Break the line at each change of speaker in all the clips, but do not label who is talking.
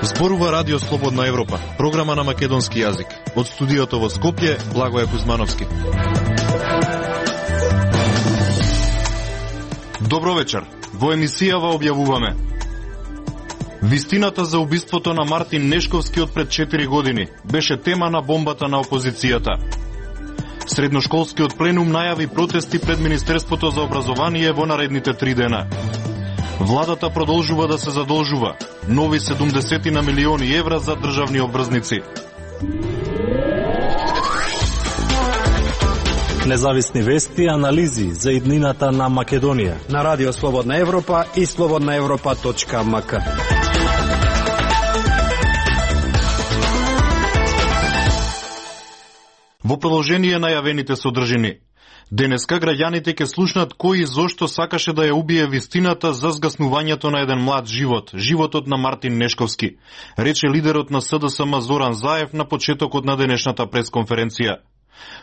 Зборува Радио Слободна Европа, програма на македонски јазик. Од студиото во Скопје, Благоје Кузмановски. Добро вечер. Во емисијава објавуваме: вистината за убиството на Мартин Нешковски од пред 4 години беше тема на бомбата на опозицијата. Средношколскиот пленум најави протести пред Министерството за образование во наредните 3 дена. Владата продолжува да се задолжува. Нови 70 на милиони евра за државни обврзници.
Независни вести и анализи за иднината на Македонија
на Радио Слободна Европа и slobodnaevropa.mk.
Во продолжение најавените содржини. Денеска граѓаните ќе слушнат кој и зошто сакаше да ја убие вистината за згаснувањето на еден млад живот, животот на Мартин Нешковски, рече лидерот на СДСМ Зоран Заев на почетокот на денешната пресконференција.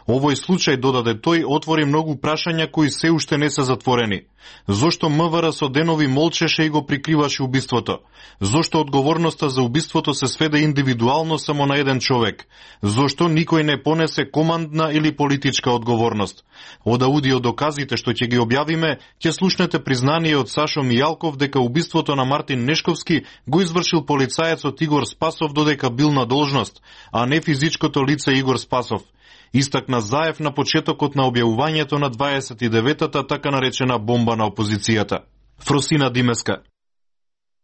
Овој случај, додаде тој, отвори многу прашања кои се уште не се затворени. Зошто МВР со денови молчеше и го прикриваше убиството? Зошто одговорноста за убиството се сведе индивидуално само на еден човек? Зошто никој не понесе командна или политичка одговорност? Од аудио доказите што ќе ги објавиме, ќе слушнете признание од Сашо Мијалков дека убиството на Мартин Нешковски го извршил полицаецот Игор Спасов додека бил на должност, а не физичкото лице Игор Спасов. Истакна Заев на почетокот на објавувањето на 29-та така наречена бомба на опозицијата. Фросина Димеска.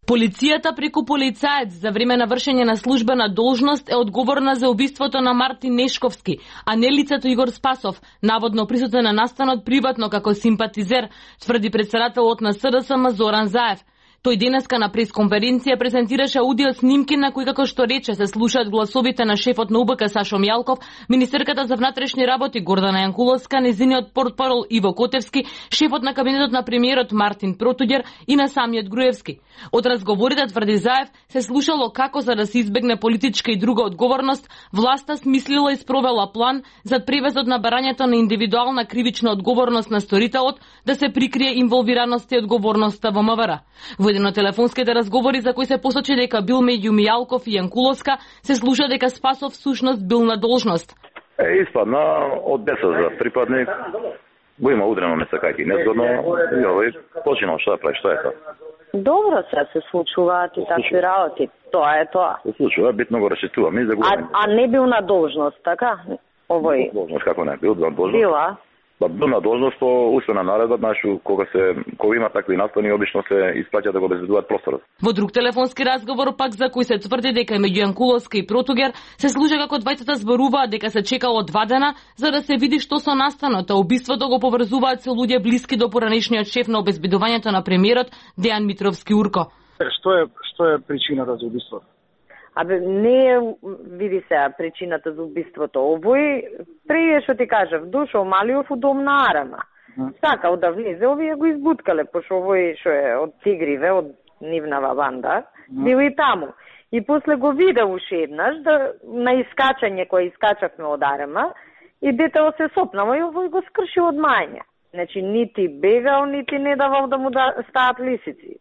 Полицијата преку полицаец за време на вршење на службена должност е одговорна за убиството на Мартин Нешковски, а не лицето Игор Спасов, наводно присутен на настанот приватно како симпатизер, тврди претседателот на СДСМ Зоран Заев. Тој денеска на пресконференција презентираше аудио снимки на кои, како што рече, се слушаат гласовите на шефот на УБК Сашо Мијалков, министерката за внатрешни работи Гордана Јанкуловска, незиниот портпарол Иво Котевски, шефот на кабинетот на премиерот Мартин Протуѓер и на самиот Груевски. Од разговорите, тврди Заев, се слушало како за да се избегне политичка и друга одговорност, власта смислила и спровела план за превезот на барањето на индивидуална кривична одговорност на сторителот, да се прикрие инволвираноста и одговорноста во МВР. Во еден од телефонските разговори за кои се посочи дека бил меѓу Мијалков и Јанкуловска, се слуша дека Спасов всушност бил на должност.
Испадна од ДСЗ припадник, го има удрено несакајки незгодно, и овој починал што да прави, што е тоа?
Добро се случуваат и такви работи. Тоа е тоа.
Се случува, битно го расчитуваме и загубаме.
А не бил на должност, така? Овој.
Должност како не бил на должност?
Била.
Бил на должност по уствена наредба, кога има такви настани, обично се испраќа да го обезбедуваат просторот.
Во друг телефонски разговор пак за кој се тврди дека меѓу Јанкуловска и Протуѓер се служа како двајцата зборуваат дека се чекало 2 дена за да се види што со настаното, а убиството го поврзуваат со луѓе блиски до поранешниот шеф на обезбедувањето на премиерот Дејан Митровски Урко.
Што е причината за убиството?
Не види се причината за убиството. Овој, преје што ти кажав, дошол Малиов у дом на Арама. Сакал да влезе, овие го избуткале, пошто овој што е од Тигриве, од нивнава банда, бил и таму. И после го видел уште еднаш, на искачање кој искачавме од Арама, и детево се сопнало и овој го скршил од мајње. Значи, нити бегал, нити не давал да му стаат лисици.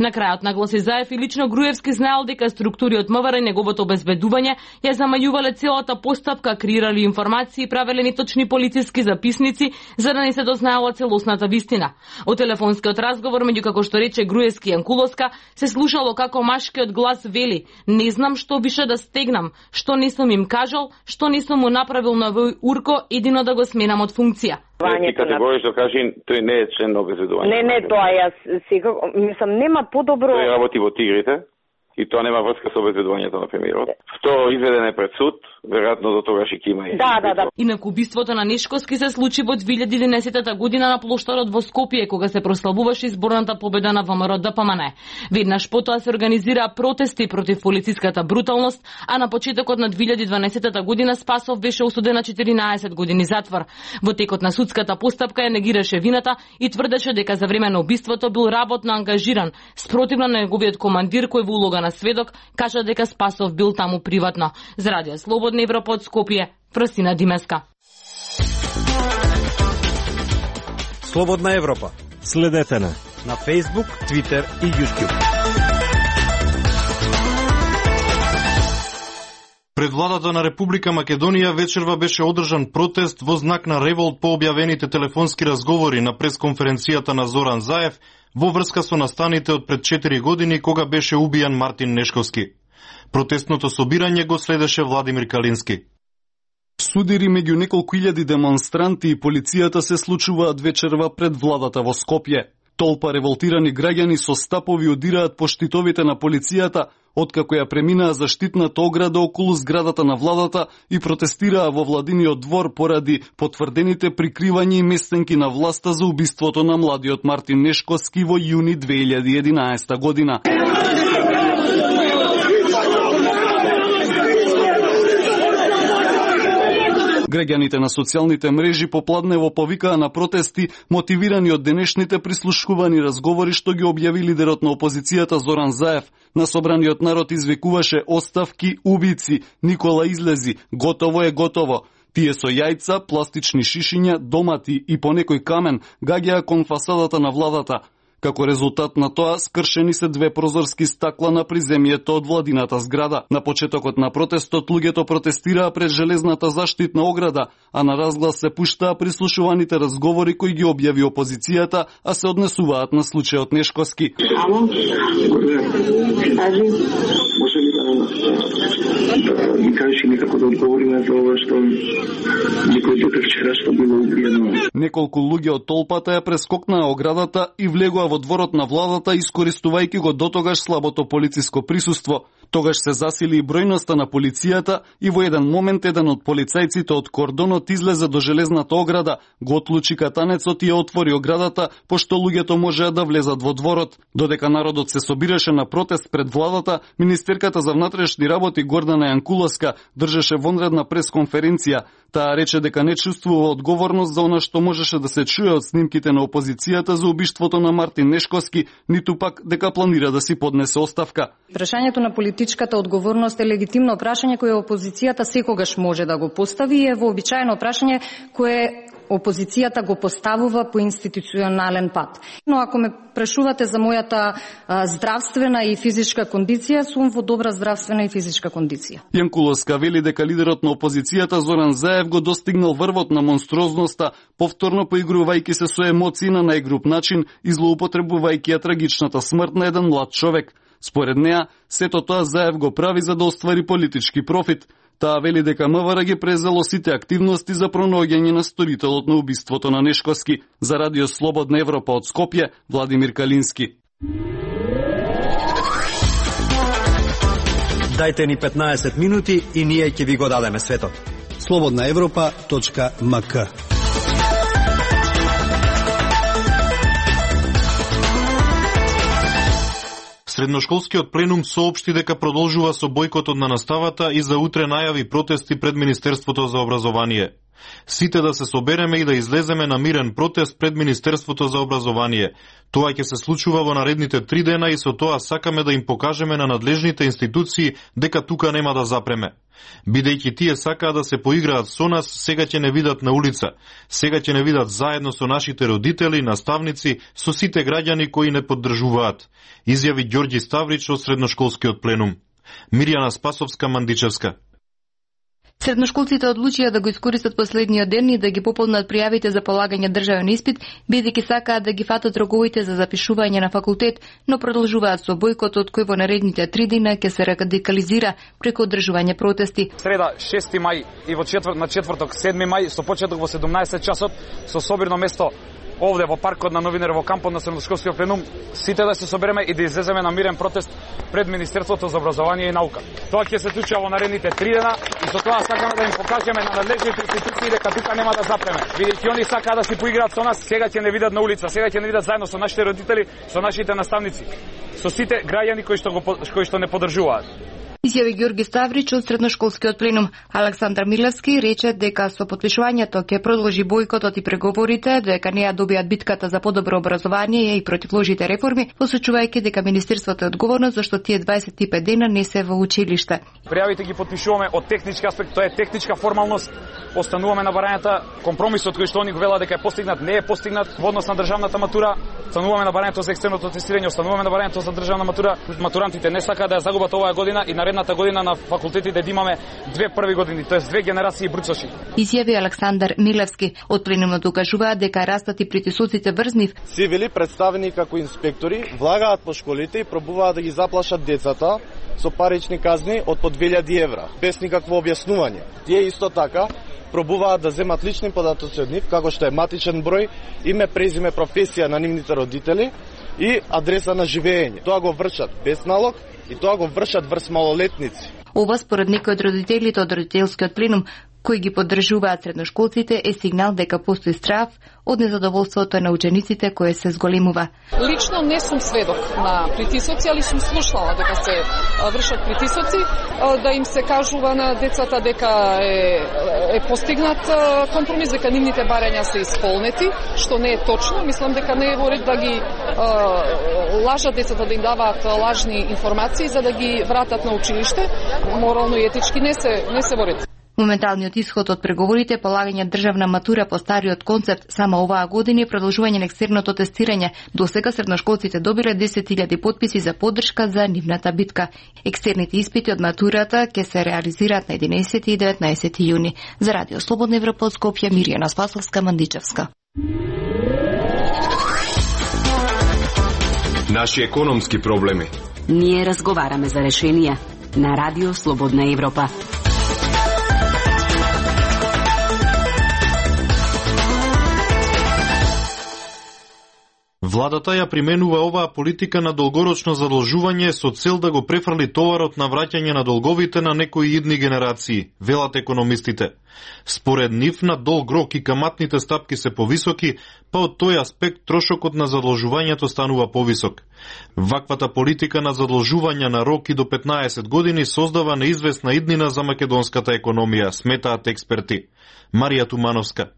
На крајот нагласи Заев и лично Груевски знаел дека структури од МВР и неговото обезбедување ја замајувале целата постапка, креирали информации и правеле неточни полициски записници за да не се дознаела целосната вистина. Од телефонскиот разговор меѓу, како што рече, Груевски и Јанкуловска се слушало како машкиот глас вели: "Не знам што беше да стегнам, што не сум им кажал, што не сум му направил на овој Урко, едино да го сменам од функција."
Ти категорично кажи, тој не е член на обезбедување.
Не, тоа јас секако, мислам, нема подобро.
Тој работи во Тигрите и тоа нема врска со обезбедувањето на премиерот. Второ, изведен е пред суд, веројатно до тогаш и има и.
Да.
Инак убиството на Нешковски се случи во 2011 година на плоштадот во Скопје, кога се прославуваше изборната победа на ВМРО ДПМН. Веднаш потоа се организираа протести против полициската бруталност, а на почетокот на 2012 година Спасов беше осуден на 14 години затвор. Во текот на судската постапка ја негираше вината и тврдеше дека за време на убиството бил работно ангажиран, спротивно на неговиот командир кој во улога на сведок кажа дека Спасов бил таму приватно. За Радио Слободна Европа од Скопје, Фросина Димеска.
Слободна Европа.
Следете на
Facebook, Twitter и YouTube.
Пред владата на Република Македонија вечерва беше одржан протест во знак на револт по објавените телефонски разговори на пресконференцијата на Зоран Заев во врска со настаните од пред 4 години кога беше убијан Мартин Нешковски. Протестното собирање го следеше Владимир Калински.
Судири меѓу неколку илјади демонстранти и полицијата се случуваат вечерва пред владата во Скопје. Толпа револтирани граѓани со стапови одираат по штитовите на полицијата, откако ја преминаа заштитната ограда околу зградата на владата и протестираа во владиниот двор поради потврдените прикривања и местенки на власта за убиството на младиот Мартин Нешковски во јуни 2011 година. Граѓаните на социјалните мрежи попладнево повикаа на протести, мотивирани од денешните прислушкувани разговори што ги објави лидерот на опозицијата Зоран Заев. На собраниот народ извикуваше оставки, убици, Никола излези, готово е готово. Тие со јајца, пластични шишиња, домати и по некој камен гаѓаа кон фасадата на владата. Како резултат на тоа, скршени се 2 прозорски стакла на приземјето од владината зграда. На почетокот на протестот луѓето протестираа пред железната заштитна ограда, а на разглас се пуштаа прислушуваните разговори кои ги објави опозицијата, а се однесуваат на случајот Нешковски.
Ало, може ли да ми кажеш некако да одговориме за ова што некој дете вчера што било убиено?
Неколку луѓе од толпата ја прескокнаа оградата и влегоа во дворот на владата, искористувајќи го дотогаш слабото полициско присуство. Тогаш се засили и бројноста на полицијата и во еден момент еден од полицајците од кордонот излезе до железната ограда, го отлучи катанецот и ја отвори оградата, пошто луѓето можеа да влезат во дворот. Додека народот се собираше на протест пред владата, министерката за внатрешни работи Гордана Јанкуловска држеше вонредна пресконференција. Таа рече дека не чувствува одговорност за она што можеше да се чуе од снимките на опозицијата за убиството на Мартин Нешковски, ниту пак дека планира да си поднесе оставка.
Прашањето на политичката одговорност е легитимно прашање кое опозицијата секогаш може да го постави и е вообичаено прашање кое опозицијата го поставува по институционален пат. Но ако ме прашувате за мојата здравствена и физичка кондиција, сум во добра здравствена и физичка кондиција.
Јанкуловска вели дека лидерот на опозицијата Зоран Заев го достигнал врвот на монструозноста, повторно поигрувајќи се со емоции на најгруп начин и злоупотребувајќи ја трагичната смрт на еден млад човек. Според неа, сето тоа Заев го прави за да оствари политички профит. Таа вели дека МВР ги презело сите активности за пронаоѓање на сторителот на убиството на Нешковски. За Радио Слободна Европа од Скопје, Владимир Калински.
Дајте ни 15 минути и ние ќе ви го дадеме светот. slobodnaevropa.mk.
Средношколскиот пленум соопшти дека продолжува со бојкотот на наставата и за утре најави протести пред Министерството за образование. Сите да се собереме и да излеземе на мирен протест пред Министерството за образование. Тоа ќе се случува во наредните 3 дена и со тоа сакаме да им покажеме на надлежните институции дека тука нема да запреме. Бидејќи тие сакаа да се поиграат со нас, сега ќе не видат на улица. Сега ќе не видат заедно со нашите родители, наставници, со сите граѓани кои не поддржуваат, изјави Ѓорѓи Ставрич од средношколскиот пленум. Мирјана Спасовска-Мандичевска.
Средношколците одлучија да го искористат последниот ден и да ги пополнат пријавите за полагање државен испит, бидејќи сакаат да ги фатат роковите за запишување на факултет, но продолжуваат со бојкотот кој во наредните 3 дена ќе се радикализира преку одржување протести.
Среда 6 мај и на четврток 7 мај со почеток во 17 часот со собирно место овде во паркот на Новинер во кампот на средношколскиот пленум, сите да се собереме и да излеземе на мирен протест пред Министерството за образование и наука. Тоа ќе се случи во наредните 3 дена и со тоа сакаме да им покажеме на надлежните институции дека тука нема да запреме. Бидејќи они сакаат да си поиграат со нас, сега ќе не видат на улица, сега ќе не видат заедно со нашите родители, со нашите наставници, со сите граѓани кои што не поддржуваат.
Изјави Ѓорги Ставрич од средношколскиот пленум. Александар Милевски рече дека со потпишувањето ќе продолжи бојкотот и преговорите, дека не ја добијат битката за подобро образование и против лошите реформи, посочувајќи дека министерството е одговорно зашто тие 25 дена не се во училиште.
Пријавите ги потпишуваме од технички аспект, тоа е техничка формалност. Остануваме на барањата, компромисот кој што они го велат дека е постигнат, не е постигнат во однос на државната матура. Остануваме на барањето за екстерното тестирање, остануваме на барањето за државна матура. Матурантите не сакаат да ја загубат оваа година и наредната година на факултетите да имаме 2 први години, тоест 2 генерации бруцоши.
Изјави Александар Милевски. Од пленумот укажуваат дека растат и притисоците врз нив.
Цивили представени како инспектори влагаат по школите и пробуваат да ги заплашат децата со парични казни од по 2000 евра, без никакво објаснување. Тие исто така пробуваат да земат лични податоци од нив, како што е матичен број, име, презиме, професија на нивните родители и адреса на живење. Тоа го вршат без налог и тоа го вршат врз малолетници.
Ова според некои од родителите од родителскиот пленум кои ги поддржуваат средношколците е сигнал дека постои страв од незадоволството на учениците кое се зголемува.
Лично не сум сведок на притисоци, али сум слушнала дека се вршат притисоци, да им се кажува на децата дека е постигнат компромис, дека нивните барања се исполнети, што не е точно. Мислам дека не е во ред да ги лажат децата, да им даваат лажни информации за да ги вратат на училиште. Морално и етички не се во ред.
Моменталниот исход од преговорите полагање државна матура по стариот концепт само оваа година и продолжување на екстерното тестирање. До сега средношколците добиле 10.000 потписи за поддршка за нивната битка. Екстерните испити од матурата ќе се реализираат на 11 и 19 јуни. За Радио Слободна Европа од Скопје, Мирјана Спасовска, Мандичевска.
Наши економски проблеми.
Ние разговараме за решенија на Радио Слободна Европа.
Владата ја применува оваа политика на долгорочно задолжување со цел да го префрли товарот на враќање на долговите на некои идни генерации, велат економистите. Според нив на долг рок и каматните стапки се повисоки, па од тој аспект трошокот на задолжувањето станува повисок. Ваквата политика на задолжување на рок и до 15 години создава неизвестна иднина за македонската економија, сметаат експерти. Марија Тумановска.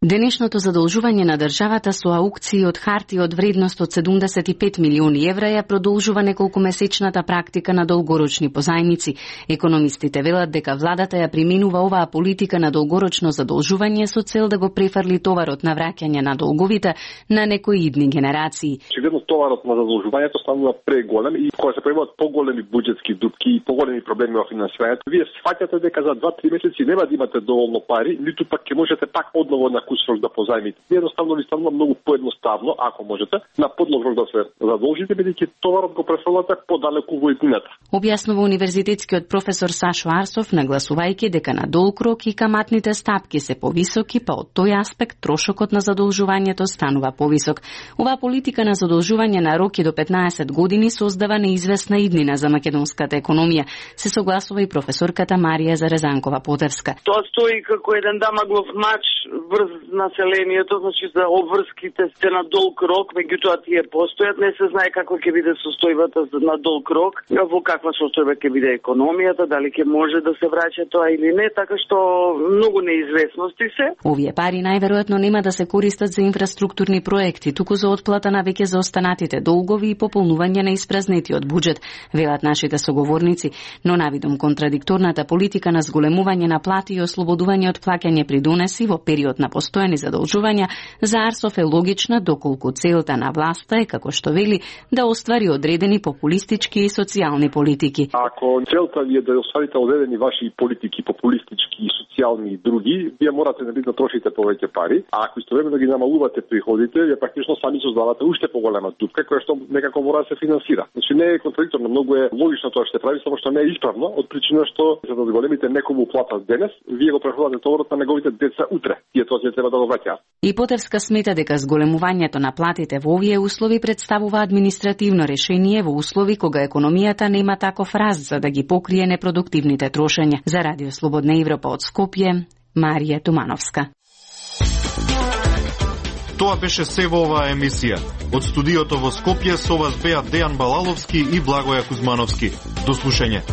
Денешното задолжување на државата со аукции од харти од вредност од 75 милиони евра ја продолжува неколкумесечната практика на долгорочни позајмици. Економистите велат дека владата ја применува оваа политика на долгорочно задолжување со цел да го префрли товарот на враќање на долговите на некои идни генерации.
Очигледно товарот на задолжувањето станува преголем и кога се појавуваат поголеми буџетски дупки и поголеми проблеми во финансирањето, вие сфаќате дека за 2-3 месеци нема да имате доволно пари, ниту пак ќе можете пак одново на срок да позајмите. Едноставно ви станува многу поедноставно, ако можете, на подлог рок да се задолжите, бидејќи товарот го префрлате подалеку во иднината.
Објаснува универзитетскиот професор Сашо Арсов, нагласувајќи дека на долг рок и каматните стапки се повисоки, па од тој аспект трошокот на задолжувањето станува повисок. Оваа политика на задолжување на роки до 15 години создава неизвестна иднина за македонската економија, се согласува и професорката Марија Зарезанкова-Потевска.
Тоа стои како еден дамаглов мач врз населението, значи за обврските сте на долг рок, меѓутоа тие постојат, не се знае како ќе биде состојбата на долг рок, во каква состојба ќе биде економијата, дали ќе може да се враќа тоа или не, така што многу неизвестности се.
Овие пари најверојатно нема да се користат за инфраструктурни проекти, туку за отплата на веќе заостанатите долгови и пополнување на испразнетиот буџет, велат нашите соговорници, но навидом контрадикторната политика на зголемување на плати и ослободување од плаќање придонеси во период на постојани задолжувања, за Арсов е логична доколку целта на власта е, како што вели, да оствари одредени популистички и социјални политики.
Ако целта ви е да остварите одредени ваши политики, популистички и социјални и други, вие морате да трошите повеќе пари, а ако истовремено ги намалувате приходите, вие практично сами создавате уште поголема дупка која што некако мора да се финансира. Значи не е контрадикторно, многу е логично тоа што прави, само што не е исправно, од причина што за да зголемите некому плата денес, вие го префрлате товарот на неговите деца утре. Тие тоа ќе треба да го враќаат.
И Потевска смета дека зголемувањето на платите во овие услови представува административно решение во услови кога економијата нема таков раст за да ги покрие непродуктивните трошења. За Радио Слободна Европа од Скопје, Марија Тумановска.
Тоа беше се во оваа емисија. Од студиото во Скопје со вас беа Дејан Балаловски и Благоја Кузмановски. До слушање.